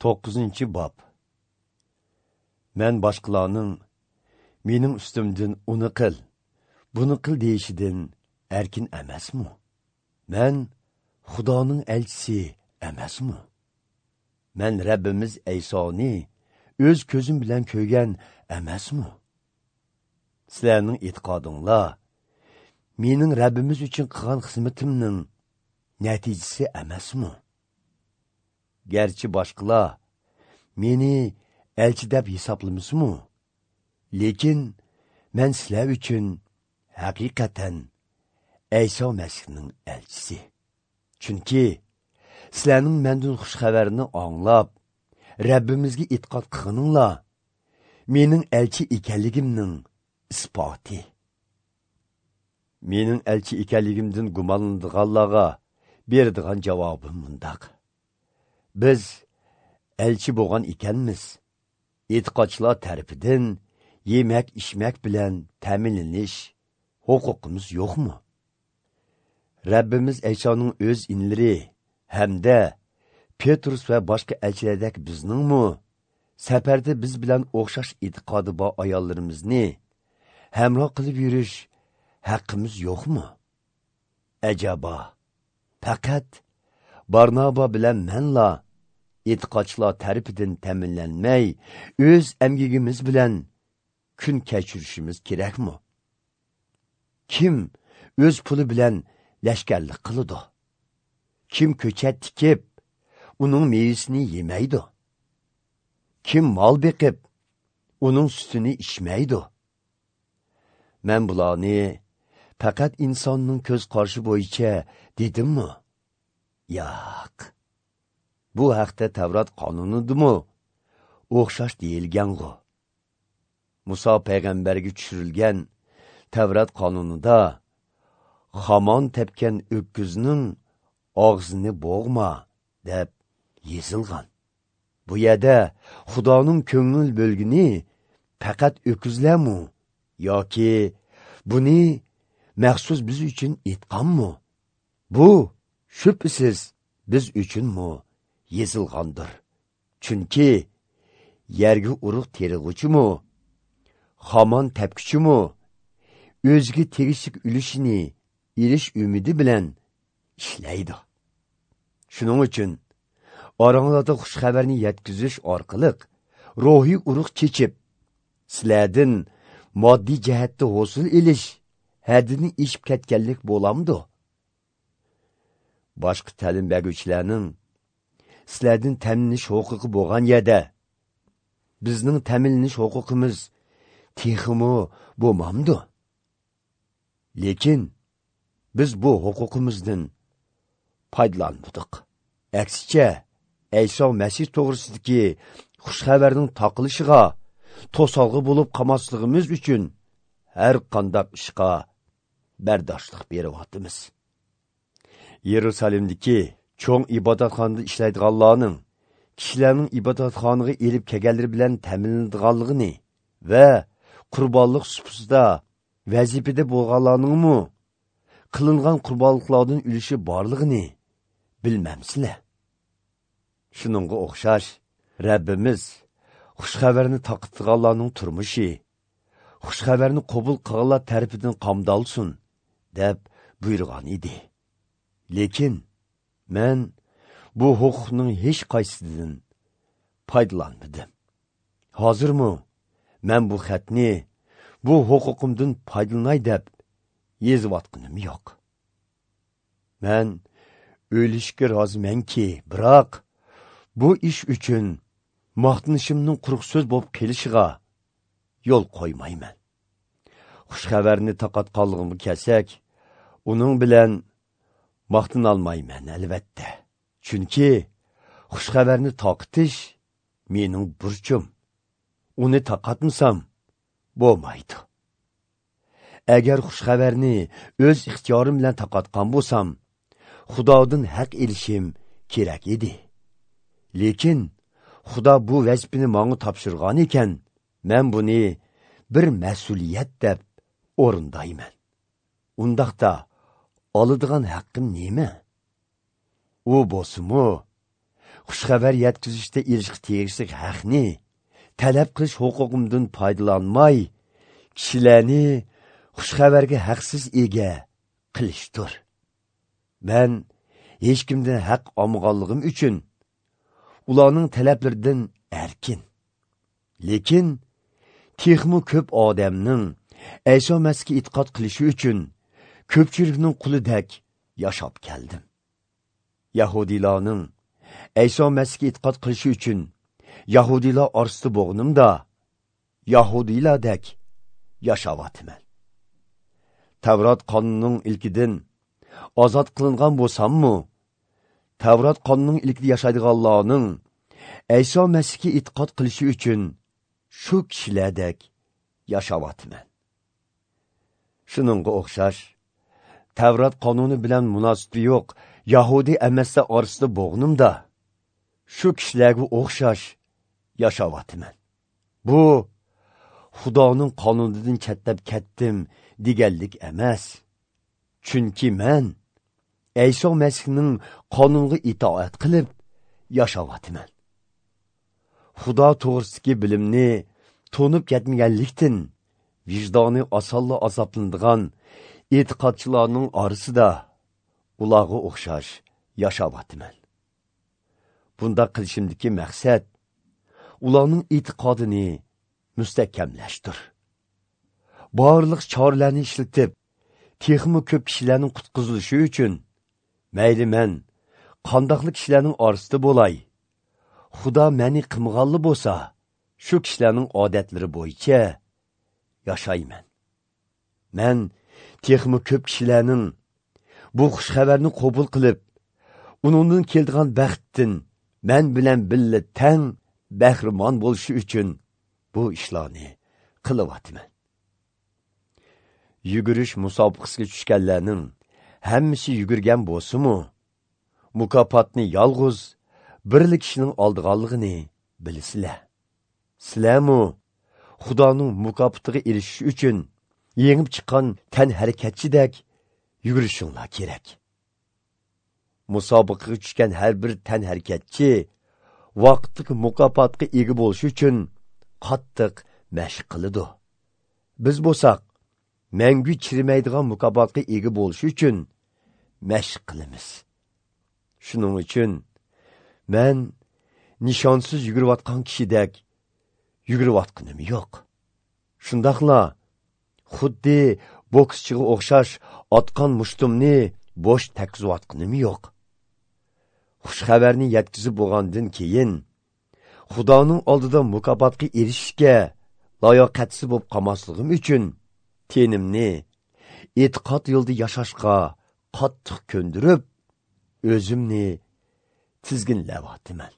9-cı bab. Mən başqalarının mening üstümdən uni qil, buni qil deyishidan erkin emasmi? Mən Xudoning elchisi emasmi? Mən Rabbimiz Aysoni o'z ko'zim bilan ko'rgan emasmi? Sizlarning e'tiqodinglar mening Rabbimiz uchun qilgan xizmatimning natijasi emasmi? Gerçi başqalar meni elchi deb hisoblamasmi? Lekin men sizlar uchun haqiqatan Ayso Masihning elchisi. Chunki sizlarning mendan xush xabarni anglab, Rabbimizga e'tiqod qilganinglar mening elchi ekanligimning isboti. Mening elchi ekanligimdan gumonlanadiganlarga beradigan javobim mundaq. Biz elchi bo'lgan ekanmiz. E'tiqodchilar tarafidan yemak-ichmak bilan ta'minlanish huquqimiz yo'qmi? Rabbimiz Aysoning o'z inlari hamda Petrus va boshqa elchilardek bizningmi safarda biz bilan o'xshash e'tiqodi bor ayollarimizni hamroh qilib yurish haqqimiz yo'qmi? Ajaba, faqat Barnaba bilan menla e'tiqodchilar tarafidan ta'minlanmay, o'z amgigimiz bilan kun kechirishimiz kerakmi? Kim o'z puli bilan lashkarlik qiladi? Kim ko'chat tikib, uning mevasini yemaydi? Kim mol beqib, uning sutini ichmaydi? Men bularni faqat insonning ko'z qarashi bo'yicha dedimmi? Yo'q. Bu haqda Tavrat qonunidimi? O'xshash deyilgan-ku. Musa payg'ambarga tushirilgan Tavrat qonunida xamon tepgan o'kkizning og'zini bo'g'ma deb yozilgan. Bu yerda Xudoning ko'ngil bo'lgini faqat o'kkizlarmi yoki buni maxsus biz uchun aytganmi? Bu shubhasiz biz uchunmi yezilgandir. Chunki yerga urug' terig'uchimi, xamon tepkichimi, o'ziga tegishli ulushini ilish umidi bilan ishlaydi. Shuning uchun oranglarda xush xabarni yetkazish orqali ruhiy urug' chechib, sizlardan moddiy jihatda hosil ilish haddini ishib ketganlik bo'lamdi. Boshqa ta'lim beruvchilarning sizlardan ta'minlanish huquqi bo'lgan yerda bizning ta'minlanish huquqimiz texmi bo'lmamdi. Lekin biz bu huquqimizdan foydalanmadik. Aksicha, Ayso Masih to'g'risidagi xush xabarning taqilishiga to'solg'i bo'lib qolmasligimiz uchun har qanday ishga bardoshlik beryapmiz. Yerusalimdagi cho'ng ibodatxonada ishlaydiganlarning kishilarning ibodatxonaga elib kelganlari bilan ta'minlanadiganligini va qurbonlik supusida vazifada bo'lganlarningmi qilingan qurbonliklardan ulushi borligini bilmamsizlar. Shuningga o'xshash Rabbimiz xushxabarni taqdirlaganlarning turmushi xushxabarni qabul qilganlar tarafidan qamdalsin deb buyurgan edi. Lekin men bu huquqning hech qaysisidan foydalanmadim. Hozirmi men bu xatni bu huquqimdan foydalanay deb yozayotganim yo'q. Men o'lishga rozimanki, biroq bu ish uchun maqtanishimning quruq so'z bo'lib kelishiga yo'l qo'ymayman. Xushxabarni taqatqanligimga kelsak, uning bilan maqtanolmayman albatta. Chunki xushxabarni taqitish mening burchim. Uni taqatmasam bo'lmaydi. Agar xushxabarni o'z ixtiyorim bilan taqatgan bo'lsam, Xudodan haq elishim kerak edi. Lekin Xudo bu vazifani menga topshirgan ekan, men buni bir mas'uliyat deb o'rindayman. Undaqda oladigan haqqim nima? U bo'lsa-mu, xush xabar yetkizishda erishga tegishli haqni talab qilish huquqimdan foydalanmay, kishilarni xush xabarga haqsiz ega qilishdir. Men hech kimdan haq olmaganligim uchun ularning talablaridan erkin. Lekin texmi ko'p odamning Ayso Masihga e'tiqod qilishi uchun ko'pchilikning qulidek yashab keldim. Yahudilarning Ayso Masihga e'tiqod qilishi uchun Yahudilar orasida bo'g'nimda Yahudilardek yashavatman. Tavrat qonunining ilkidan ozod qilingan bo'lsam-mu, Tavrat qonunining ilkida yashaydiganlarning Ayso Masihga e'tiqod qilishi uchun shu kishilardek yashavatman. Shuningga o'xshash, Tavrat qonuni bilan munosabati yo'q Yahudi emaslar orasida bo'g'nimda shu kishilarga o'xshash yashavatman. Bu Xudoning qonunidan chettab ketdim deganlik emas. Chunki men Ayso Masihning qonuniga itoat qilib yashavatman. Xudo to'g'risidagi bilimni to'nib ketmaganlikdan vijdoni osonla azoblanadigan e'tiqodchilarning orasida ularga o'xshash yashavatman. Bunda qilishimdagi maqsad ularning e'tiqodini mustahkamlashdir. Barliq choralarni ishlatib, texmi ko'p kishilarning qutqizilishi uchun mayli men qandoqli kishilarning orasida bo'lay, Xudo meni qilmaganli bo'lsa, shu kishilarning odatlari bo'yicha yashayman. Men texmi ko'p kishilarning bu xush xabarni qabul qilib, uningdan keladigan baxtdan men bilan birga tang bahramon bo'lishi uchun bu ishlarni qilyapman. Yugurish musobaqasiga tushganlarning hammasi yugurgan bo'lsa-mu, mukofotni yolg'iz birli kishining oldiganligini bilasizlar. Sizlarmi Xudoning mukofotiga erishish uchun yengib chiqqan tan harakatchidek yugurishinglar kerak. Musobaqaga tushgan har bir tan harakatchi vaqtlik mukofotga ega bo'lish uchun qattiq mashq qiladi. Biz bo'lsak, mangu chirimaydigan mukofotga ega bo'lish uchun mashq qilamiz. Shuning uchun men nishonsiz yugurayotgan kishidek yugurayotganim yo'q. Shundaqla xuddi bokschiga o'xshash otgan mushtumni bo'sh takizayotganim yo'q. Xush xabarni yetkazib bo'lgandan keyin Xudoning oldida mukofotga erishishga layoqatsiz bo'lib qolmasligim uchun tenimni e'tiqod yo'lida yashashga qattiq ko'ndirib, o'zimni tizginlayapman.